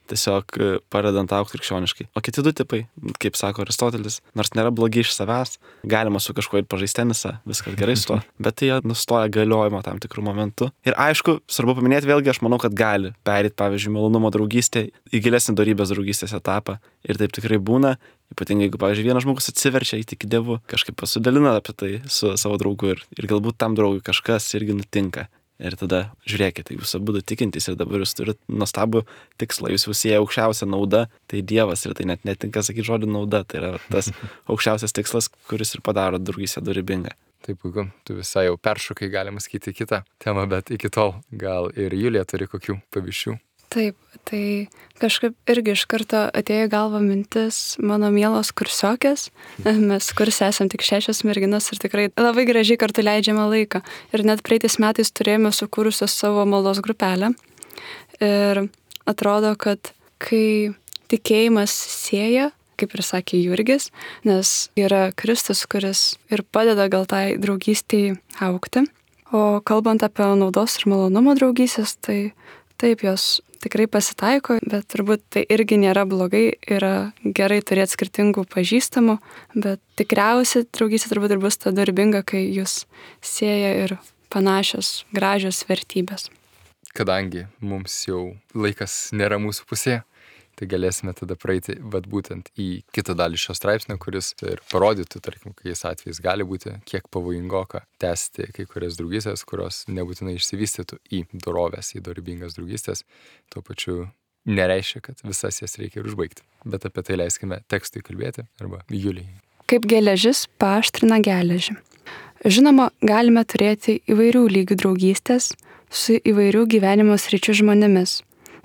tiesiog padedant augti krikščioniškai. O kiti du tipai, kaip sako Aristotelis, nors nėra blogi iš savęs, galima su kažkuo ir pažaisti tenisą, viskas gerai su to, bet tai jie nustoja galiojimo tam tikrų momentų. Ir aišku, svarbu paminėti vėlgi, aš manau, kad gali perėti, pavyzdžiui, malonumo draugystė į gilesnį dorybės draugystės etapą. Ir taip tikrai būna, ypatingai jeigu, pavyzdžiui, vienas žmogus atsiverčia įtiki Dievu, kažkaip pasidalina apie tai su savo draugu ir, ir galbūt tam draugui kažkas irgi nutinka. Ir tada žiūrėkite, jūs abu tikintys ir dabar jūs turite nuostabų tikslą, jūs visi aukščiausia nauda, tai Dievas ir tai net netinka sakyti žodį nauda, tai yra tas aukščiausias tikslas, kuris ir padaro draugystę dorybingą. Taip, puiku, tu visai jau peršokai, galima sakyti, kitą temą, bet iki tol gal ir Julija turi kokių pavyzdžių. Taip, tai kažkaip irgi iš karto atėjo į galvą mintis mano mielos kursiokės. Mes kurse esam tik šešios merginos ir tikrai labai gražiai kartu leidžiame laiką. Ir net praeitais metais turėjome sukūrusios savo maldos grupelę. Ir atrodo, kad kai tikėjimas sieja, kaip ir sakė Jurgis, nes yra Kristus, kuris ir padeda gal tai draugystei augti. O kalbant apie naudos ir malonumo draugystės, tai taip, jos tikrai pasitaiko, bet turbūt tai irgi nėra blogai, yra gerai turėti skirtingų pažįstamų, bet tikriausiai draugystė turbūt ir bus ta dorybinga, kai jūs sieja ir panašios, gražios vertybės. Kadangi mums jau laikas nėra mūsų pusėje, tai galėsime tada praeiti vat būtent į kitą dalį šio straipsnio, kuris ir parodytų, tarkim, kokiais atvejais gali būti, kiek pavojingoka tęsti kai kurias draugystės, kurios nebūtinai išsivystytų į dorovės, į dorybingas draugystės, tuo pačiu nereiškia, kad visas jas reikia ir užbaigti. Bet apie tai leiskime tekstui kalbėti arba Julijai. Kaip geležis paaštrina geležį. Žinoma, galime turėti įvairių lygių draugystės su įvairių gyvenimo sričių žmonėmis,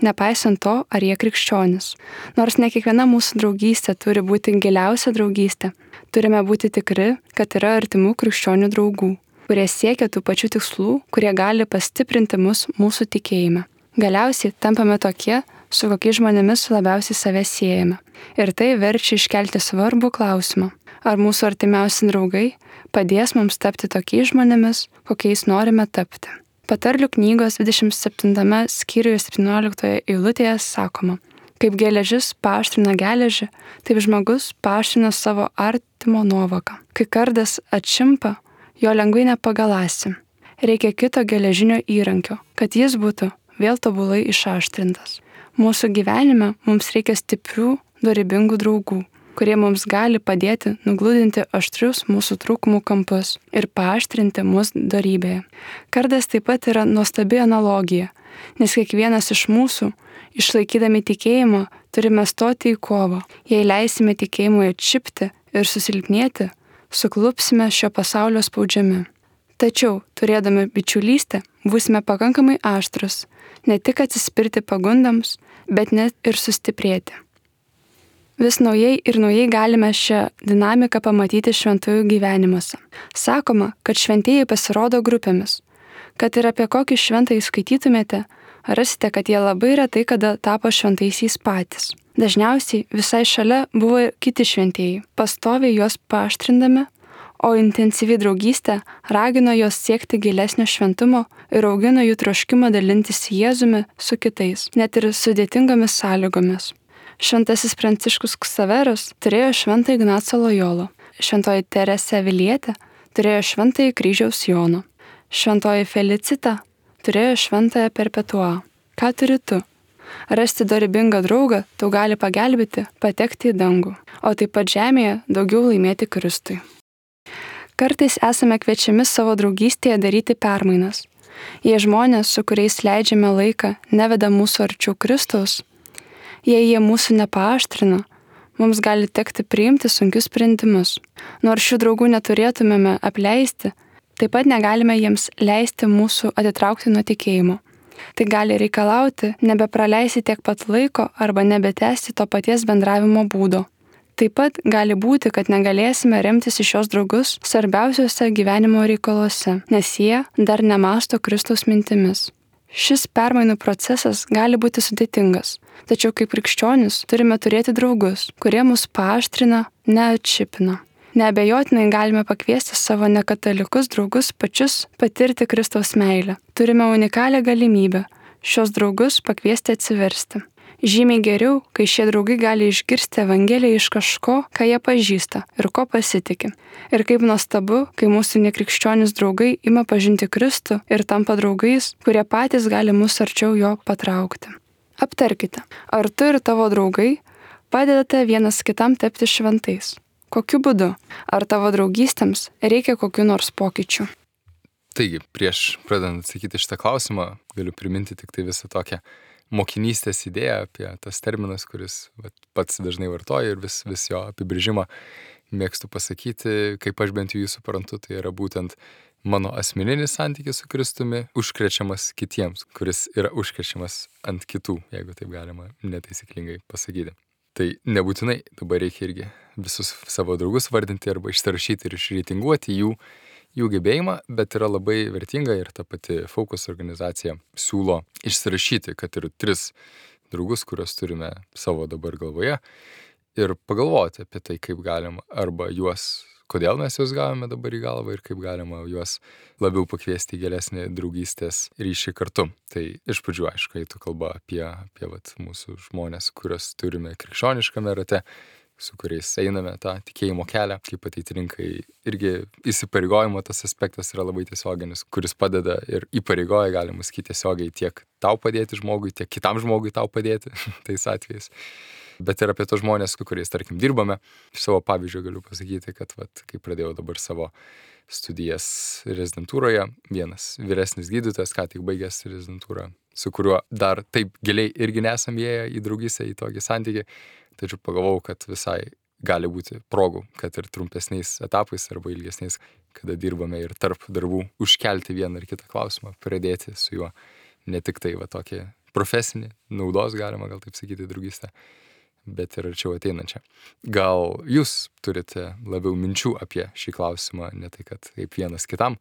nepaisant to, ar jie krikščionis. Nors ne kiekviena mūsų draugystė turi būti giliausia draugystė, turime būti tikri, kad yra artimų krikščionių draugų, kurie siekia tų pačių tikslų, kurie gali pastiprinti mus mūsų tikėjime. Galiausiai tampame tokie, su kokiais žmonėmis labiausiai save siejame. Ir tai verčia iškelti svarbų klausimą. Ar mūsų artimiausi draugai padės mums tapti tokiais žmonėmis, kokiais norime tapti. Patarlių knygos dvidešimt septintame skyriuje septynioliktoje eilutėje sakoma, kaip geležis paaštrina geležį, taip žmogus paaštrina savo artimo nuovoką. Kai kardas atšimpa, jo lengvai nepagalasi. Reikia kito geležinio įrankio, kad jis būtų vėl tobulai išaštrintas. Mūsų gyvenime mums reikia stiprių, dorybingų draugų, kurie mums gali padėti nugludinti aštrius mūsų trūkumų kampus ir paaštrinti mus dorybėje. Kardas taip pat yra nuostabi analogija, nes kiekvienas iš mūsų, išlaikydami tikėjimą, turime stoti į kovą. Jei leisime tikėjimui atšipti ir susilpnėti, suklupsime šio pasaulio spaudžiami. Tačiau, turėdami bičiulystę, būsime pakankamai aštrus, ne tik atsispirti pagundams, bet net ir sustiprėti. Vis naujai ir naujai galime šią dinamiką pamatyti šventųjų gyvenimuose. Sakoma, kad šventieji pasirodo grupėmis. Kad ir apie kokį šventąjį skaitytumėte, rasite, kad jie labai retai kada tapo šventaisiais patys. Dažniausiai visai šalia buvo kiti šventieji, pastoviai juos paaštrindami, o intensyvi draugystė ragino juos siekti gilesnio šventumo ir augino jų troškimą dalintis Jėzumi su kitais, net ir sudėtingomis sąlygomis. Šventasis Pranciškus Ksaveras turėjo šventą Ignacą Lojolą, šventoji Teresė Avilietė turėjo šventąjį Kryžiaus Joną, šventoji Felicita turėjo šventąją Perpetuą. Ką turi tu? Rasti dorybingą draugą tau gali pagelbėti patekti į dangų, o taip pat žemėje daugiau laimėti Kristui. Kartais esame kviečiami savo draugystėje daryti permainas. Jei žmonės, su kuriais leidžiame laiką, neveda mūsų arčiau Kristaus, jei jie mūsų nepaaštrina, mums gali tekti priimti sunkius sprendimus. Nors šių draugų neturėtumėme apleisti, taip pat negalime jiems leisti mūsų atitraukti nuo tikėjimo. Tai gali reikalauti nebepraleisti tiek pat laiko arba nebetęsti to paties bendravimo būdo. Taip pat gali būti, kad negalėsime remtis į šios draugus svarbiausiuose gyvenimo reikaluose, nes jie dar nemąsto Kristaus mintimis. Šis permainų procesas gali būti sudėtingas, tačiau kaip krikščionis turime turėti draugus, kurie mus paaštrina, neatšipina. Neabejotinai galime pakviesti savo nekatalikus draugus pačius patirti Kristaus meilę. Turime unikalią galimybę šios draugus pakviesti atsiversti. Žymiai geriau, kai šie draugai gali išgirsti Evangeliją iš kažko, ką jie pažįsta ir ko pasitiki. Ir kaip nuostabu, kai mūsų nekrikščionis draugai ima pažinti Kristų ir tampa draugais, kurie patys gali mus arčiau jo patraukti. Aptarkite, ar tu ir tavo draugai padedate vienas kitam tapti šventais? Kokiu būdu? Ar tavo draugystėms reikia kokiu nors pokyčių? Taigi, prieš pradedant atsakyti šitą klausimą, galiu priminti tik tai visą tokią mokinystės idėja apie tas terminas, kuris vat, pats dažnai vartoja ir vis, vis jo apibrėžimą mėgstu pasakyti, kaip aš bent jau jį suprantu, tai yra būtent mano asmeninis santykis su Kristumi užkrečiamas kitiems, kuris yra užkrečiamas ant kitų, jeigu taip galima netaisyklingai pasakyti. Tai nebūtinai dabar reikia irgi visus savo draugus vardinti arba išsirašyti ir išreitinguoti jų jų gebėjimą, bet yra labai vertinga ir ta pati Focus organizacija siūlo išsirašyti, kad ir tris draugus, kuriuos turime savo dabar galvoje ir pagalvoti apie tai, kaip galima arba juos, kodėl mes juos gavome dabar į galvą ir kaip galima juos labiau pakviesti į gilesnį draugystės ryšį kartu. Tai iš pradžių, aišku, eitų kalba apie, apie vat, mūsų žmonės, kuriuos turime krikščioniškame rate, su kuriais einame tą tikėjimo kelią, kaip ateiti rinkai. Irgi įsipareigojimo tas aspektas yra labai tiesioginis, kuris padeda ir įpareigoja, galima sakyti, tiesiogiai tiek tau padėti žmogui, tiek kitam žmogui tau padėti tais atvejais. Bet ir apie tos žmonės, su kuriais, tarkim, dirbame. Iš savo pavyzdžio galiu pasakyti, kad vat, kai pradėjau dabar savo studijas rezidentūroje, vienas vyresnis gydytojas, ką tik baigęs rezidentūrą, su kuriuo dar taip giliai irgi nesam įėję į draugystę, į tokį santykį. Tačiau pagalvojau, kad visai gali būti progų, kad ir trumpesniais etapais arba ilgesniais, kada dirbame ir tarp darbų, užkelti vieną ar kitą klausimą, pradėti su juo ne tik tai va tokį profesinį naudos, galima gal taip sakyti, draugystę, bet ir arčiau ateinančią. Gal jūs turite labiau minčių apie šį klausimą, ne tai, kad kaip vienas kitam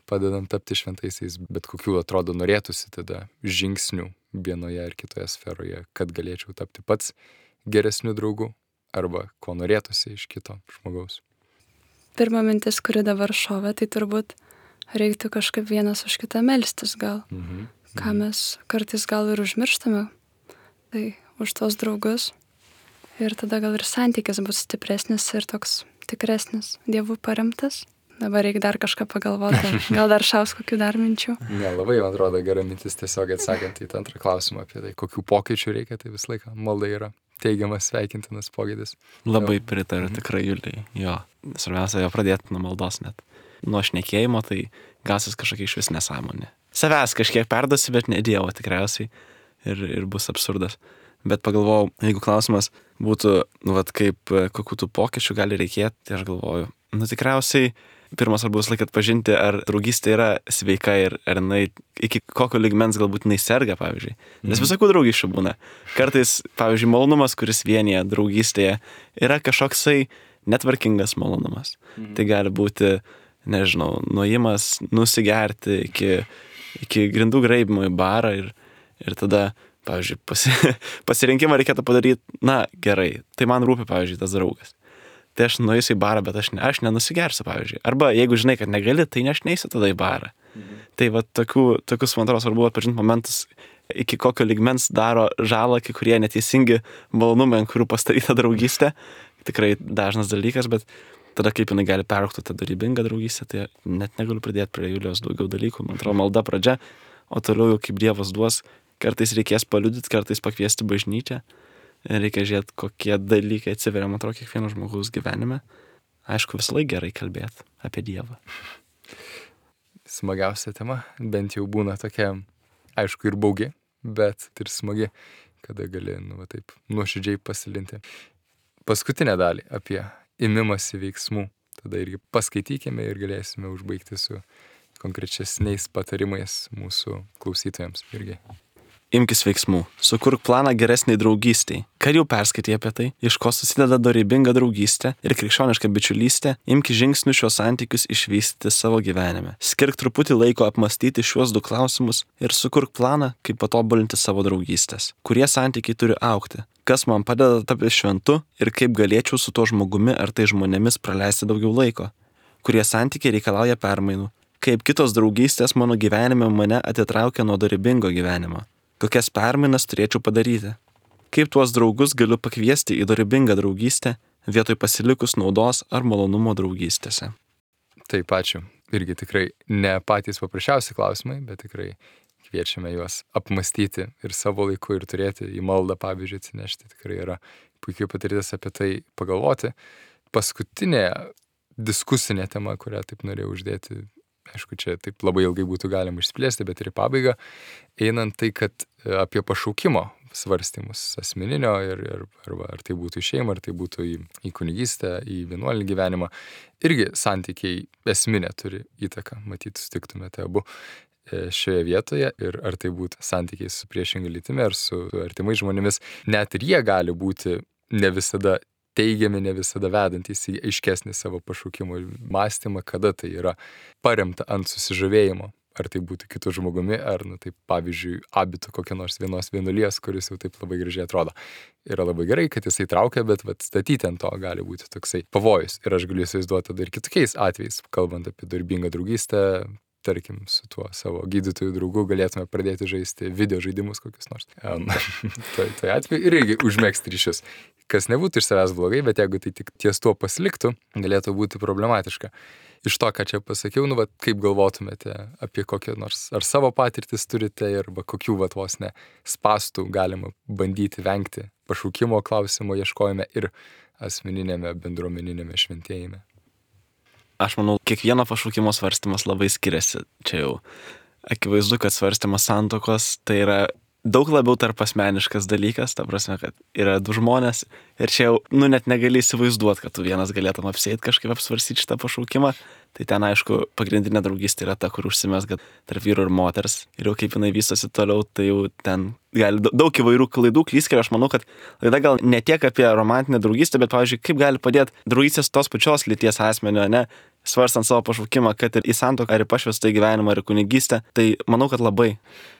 padedam tapti šventaisiais, bet kokių atrodo norėtųsi tada žingsnių vienoje ar kitoje sferoje, kad galėčiau tapti pats geresnių draugų arba ko norėtųsi iš kito žmogaus. Pirma mintis, kuri dabar šovė, tai turbūt reiktų kažkaip vienas už kitą melstis gal. Mhm. Ką mes kartais gal ir užmirštame, tai už tos draugus. Ir tada gal ir santykis bus stipresnis ir toks tikresnis, Dievu paremtas. Dabar reikia dar kažką pagalvoti. Gal dar šaus kokių dar minčių? Ne, labai, man atrodo, gera mintis tiesiog atsakant į tą antrą klausimą apie tai, kokių pokyčių reikia, tai visą laiką malda yra teigiamas, sveikintinas pokytis. Labai pritariu, tikrai, Juliai. Jo, svarbiausia jo pradėti nuo maldos net. Nuo šnekėjimo, tai gausis kažkokia iš vis nesąmonė. Savęs kažkiek perduosi, bet ne Dievo tikriausiai ir, ir bus absurdas. Bet pagalvojau, jeigu klausimas būtų, nu, vat, kaip, kokių tų pokyčių gali reikėti, tai aš galvoju, nu, tikriausiai pirmas svarbus laikas atpažinti, ar draugystė yra sveika ir ar jinai iki kokio lygmens galbūt jinai serga, pavyzdžiui. Nes visokių draugysčių būna. Kartais, pavyzdžiui, malonumas, kuris vienyje draugystėje, yra kažkoksai netvarkingas malonumas. Mhm. Tai gali būti, nežinau, nuėjimas, nusigerti iki, iki grindų graibimo į barą ir, ir tada, pavyzdžiui, pasi, pasirinkimą reikėtų padaryti, na, gerai, tai man rūpi, pavyzdžiui, tas draugas. Tai aš nueisiu į barą, bet aš, ne, aš nenusigersiu, pavyzdžiui. Arba jeigu žinai, kad negali, tai ne aš neisiu tada į barą. Mhm. Tai va tokių, tokius, man atrodo, svarbu atpažinti momentus, iki kokio lygmens daro žalą kai kurie neteisingi malonumai, ant kurių pastatyta draugystė. Tikrai dažnas dalykas, bet tada kaip jinai gali peraugti tą dorybingą draugystę, tai net negaliu pridėti prie Julijos daugiau dalykų. Man atrodo, malda pradžia, o toliau jau kaip Dievas duos, kartais reikės paliudyti, kartais pakviesti bažnyčią. Reikia žiūrėti, kokie dalykai atsiveria, man atrodo, kiekvieno žmogaus gyvenime. Aišku, visą laiką gerai kalbėti apie Dievą. Smagiausia tema, bent jau būna tokia, aišku, ir baugi, bet ir smagi, kada gali, nu, va, taip, nuoširdžiai pasilinti. Paskutinę dalį apie imimąsi veiksmų, tada irgi paskaitykime ir galėsime užbaigti su konkrečesniais patarimais mūsų klausytojams irgi. Imkis veiksmų. Sukurk planą geresniai draugystiai. Kad jau perskaitai apie tai, iš ko susideda dorybinga draugystė ir krikščioniška bičiulystė, imki žingsnių šios santykius išvystyti savo gyvenime. Skirk truputį laiko apmastyti šiuos du klausimus ir sukurk planą, kaip patobulinti savo draugystės. Kurie santykiai turi augti? Kas man padeda tapti šventu ir kaip galėčiau su to žmogumi ar tai žmonėmis praleisti daugiau laiko? Kurie santykiai reikalauja permainų? Kaip kitos draugystės mano gyvenime mane atitraukia nuo dorybingo gyvenimo? Kokias permainas turėčiau padaryti? Kaip tuos draugus galiu pakviesti į dorybingą draugystę, vietoj pasilikus naudos ar malonumo draugystėse? Taip, ačiū. Irgi tikrai ne patys paprasčiausi klausimai, bet tikrai kviečiame juos apmastyti ir savo laiku ir turėti į maldą, pavyzdžiui, atsinešti. Tikrai yra puikiai patirtis apie tai pagalvoti. Paskutinė diskusinė tema, kurią taip norėjau uždėti, aišku, čia taip labai ilgai būtų galima išsplėsti, bet ir į pabaigą, einant tai, kad apie pašaukimo svarstymus asmeninio ir, ir arba ar tai būtų į šeimą, ar tai būtų į, į kunigystę, į vienuolinį gyvenimą, irgi santykiai esminė turi įtaką, matyt, sutiktumėte abu šioje vietoje ir ar tai būtų santykiai su priešinga lytimi ar su artimais žmonėmis, net ir jie gali būti ne visada teigiami, ne visada vedantys į aiškesnį savo pašaukimo mąstymą, kada tai yra paremta ant susižavėjimo. Ar tai būtų kitų žmogumi, ar, nu, taip, pavyzdžiui, abitų kokia nors vienos vienuolijos, kuris jau taip labai gražiai atrodo. Yra labai gerai, kad jisai traukia, bet vat, statyti ant to gali būti toksai pavojus. Ir aš galiu įsivaizduoti tada ir kitokiais atvejais, kalbant apie dorybingą draugystę, tarkim, su tuo savo gydytojų draugu galėtume pradėti žaisti video žaidimus kokius nors. Um, tai, tai atveju ir irgi užmegzti ryšius. Kas nebūtų iš savęs blogai, bet jeigu tai tik ties tuo pasiliktų, galėtų būti problematiška. Iš to, ką čia pasakiau, nu, va, kaip galvotumėte apie kokią nors, ar savo patirtis turite ir va, kokių va, vos ne spastų galima bandyti vengti pašaukimo klausimo ieškojime ir asmeninėme bendruomeninėme šventėjime. Aš manau, kiekvieno pašaukimo svarstymas labai skiriasi. Čia jau akivaizdu, kad svarstymas santuokos tai yra daug labiau tarp asmeniškas dalykas, ta prasme, kad yra du žmonės ir čia jau, nu, net negali įsivaizduoti, kad tu vienas galėtum apsėti kažkaip apsvarstyti šitą pašaukimą. Tai ten, aišku, pagrindinė draugystė yra ta, kur užsimezga tarp vyro ir moters. Ir jau kaip jinai vystosi toliau, tai jau ten gali daug įvairių klaidų klystkelių. Aš manau, kad laida gal ne tiek apie romantinę draugystę, bet, pavyzdžiui, kaip gali padėti draugystės tos pačios lyties asmenio, ne? Svarstant savo pašaukimą, kad ir į santuoką, ar į pašvestą gyvenimą, ar į kunigystę, tai manau, kad labai.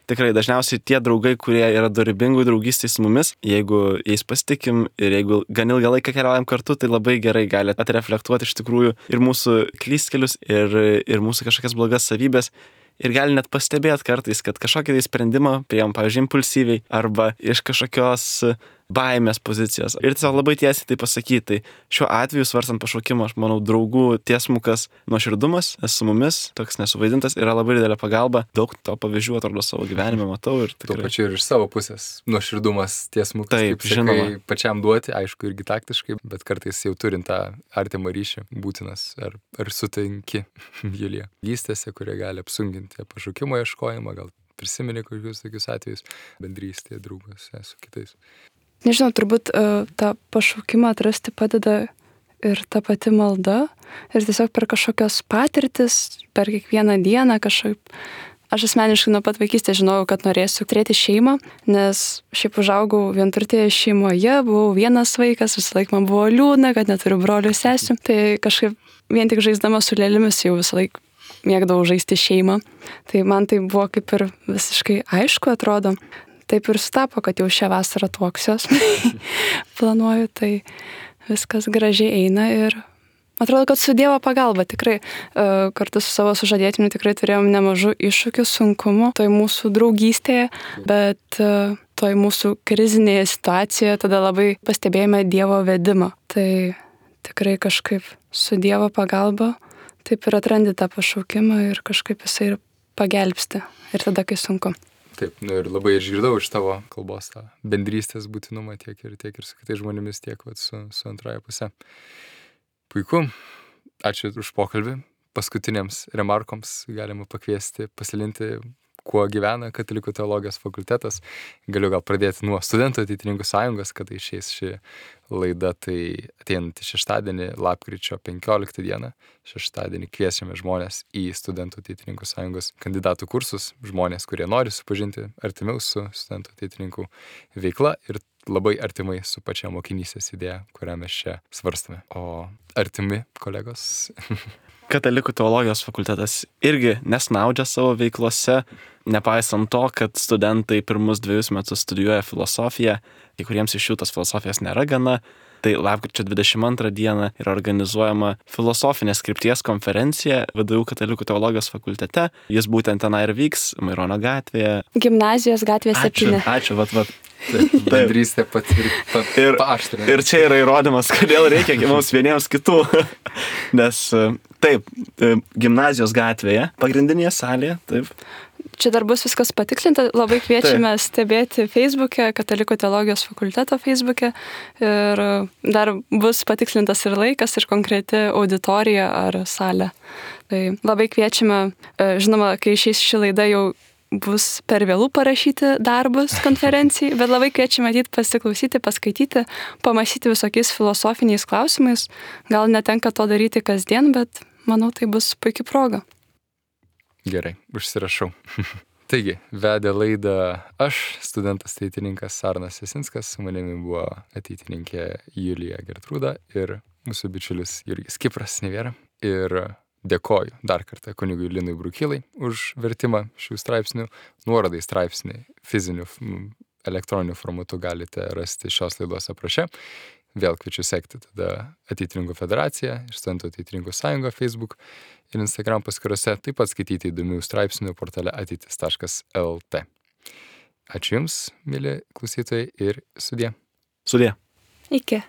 Tikrai dažniausiai tie draugai, kurie yra dorybingų draugystėj su mumis, jeigu jais pasitikim ir jeigu gan ilgą laiką keliaujam kartu, tai labai gerai gali atreflektuoti iš tikrųjų ir mūsų klystkelius, ir, ir mūsų kažkokias blogas savybės. Ir gali net pastebėti kartais, kad kažkokį tai sprendimą priėm, pavyzdžiui, impulsyviai arba iš kažkokios baimės pozicijos. Ir tiesiog labai tiesiai tai pasakyti. Tai šiuo atveju, svarstant pašaukimą, aš manau, draugų tiesmukas nuoširdumas su mumis, toks nesuvaidintas, yra labai didelė pagalba. Daug to pavyzdžių atrodo savo gyvenime matau. Ir tikrai... Tuo pačiu ir iš savo pusės nuoširdumas tiesmukas. Taip, kaip žinoma. Pačiam duoti, aišku, irgi taktiškai, bet kartais jau turint tą artimą ryšį būtinas. Ar, ar sutinki, Julija, gystėse, kurie gali apsunginti pašaukimo ieškojimą, gal prisimeni kokius tokius atvejus, bendrystėje, draugose su kitais. Nežinau, turbūt uh, tą pašaukimą atrasti padeda ir ta pati malda ir tiesiog per kažkokios patirtis, per kiekvieną dieną kažkaip. Aš asmeniškai nuo pat vaikystės žinojau, kad norėsiu turėti šeimą, nes šiaip užaugau vienturtėje šeimoje, buvau vienas vaikas, visą laiką man buvo liūdna, kad neturiu brolių sesių. Tai kažkaip vien tik žaisdama su lėlėmis jau visą laiką mėgdavau žaisti šeimą. Tai man tai buvo kaip ir visiškai aišku atrodo. Taip ir sutapo, kad jau šią vasarą tuoksiuos. Planuoju, tai viskas gražiai eina ir atrodo, kad su Dievo pagalba tikrai kartu su savo sužadėtiniu tikrai turėjom nemažų iššūkių, sunkumų toj mūsų draugystėje, bet toj mūsų krizinėje situacijoje tada labai pastebėjome Dievo vedimą. Tai tikrai kažkaip su Dievo pagalba taip ir atrandi tą pašaukimą ir kažkaip jisai ir pagelbsti. Ir tada, kai sunku. Taip, nu ir labai išgirdau iš tavo kalbos tą bendrystės būtinumą tiek ir, tiek ir su kitais žmonėmis, tiek vat, su, su antraja pusė. Puiku, ačiū už pokalbį. Paskutinėms remarkoms galima pakviesti pasilinti, kuo gyvena Katalikų teologijos fakultetas. Galiu gal pradėti nuo Studentų ateitininkų sąjungos, kada išeis ši laida, tai ateinantį šeštadienį, lapkričio penkioliktą dieną. Šeštadienį kviečiame žmonės į Studentų ateitininkų sąjungos kandidatų kursus, žmonės, kurie nori supažinti artimiau su Studentų ateitininkų veikla ir labai artimai su pačia mokinystės idėja, kurią mes čia svarstame. O artimi kolegos... Katalikų teologijos fakultetas irgi nesnaudžia savo veiklose, nepaisant to, kad studentai pirmus dviejus metus studijuoja filosofiją, kai kuriems iš jų tos filosofijos nėra gana. Tai lapkričio dvidešimt antrą dieną yra organizuojama filosofinės krypties konferencija V D U Katalikų teologijos fakultete. Jis būtent tenai ir vyks, Maironio gatvėje. Gimnazijos gatvėje septyni. Ačiū, ačiū, vat, vat. Bendrystė paaštrinė. Ir čia yra įrodymas, kodėl reikia mums vieniems kitų. Nes taip, gimnazijos gatvėje, pagrindinėje salėje, taip. Čia dar bus viskas patikslinta, labai kviečiame taip. Stebėti Facebook'e, Katalikų teologijos fakulteto Facebook'e ir dar bus patikslintas ir laikas, ir konkreti auditorija ar salė. Tai labai kviečiame, žinoma, kai išeis ši laida jau bus per vėlų parašyti darbus konferencijai, bet labai kviečiame ateit pasiklausyti, paskaityti, pamąstyti visokiais filosofiniais klausimais. Gal netenka to daryti kasdien, bet manau, tai bus puikia proga. Gerai, užsirašau. Taigi, vedė laidą aš, studentas ateitininkas Arnas Jasinskas, su manimi buvo ateitininkė Julija Gertrūda ir mūsų bičiulis Jurgis Kipras Nevėra. Ir dėkoju dar kartą kunigui Linui Brukilai už vertimą šių straipsnių. Nuorodai straipsnį fiziniu elektroniniu formatu galite rasti šios laidos apraše. vėl kviečiu sekti tada Ateitininkų federaciją ir Studentų Ateitininkų sąjungą Facebook ir Instagram paskyrose, taip pat skaityti įdomių straipsnių portale ateitis taškas el te. Ačiū Jums, mėly klausytojai, ir sudie. Sudie. Iki.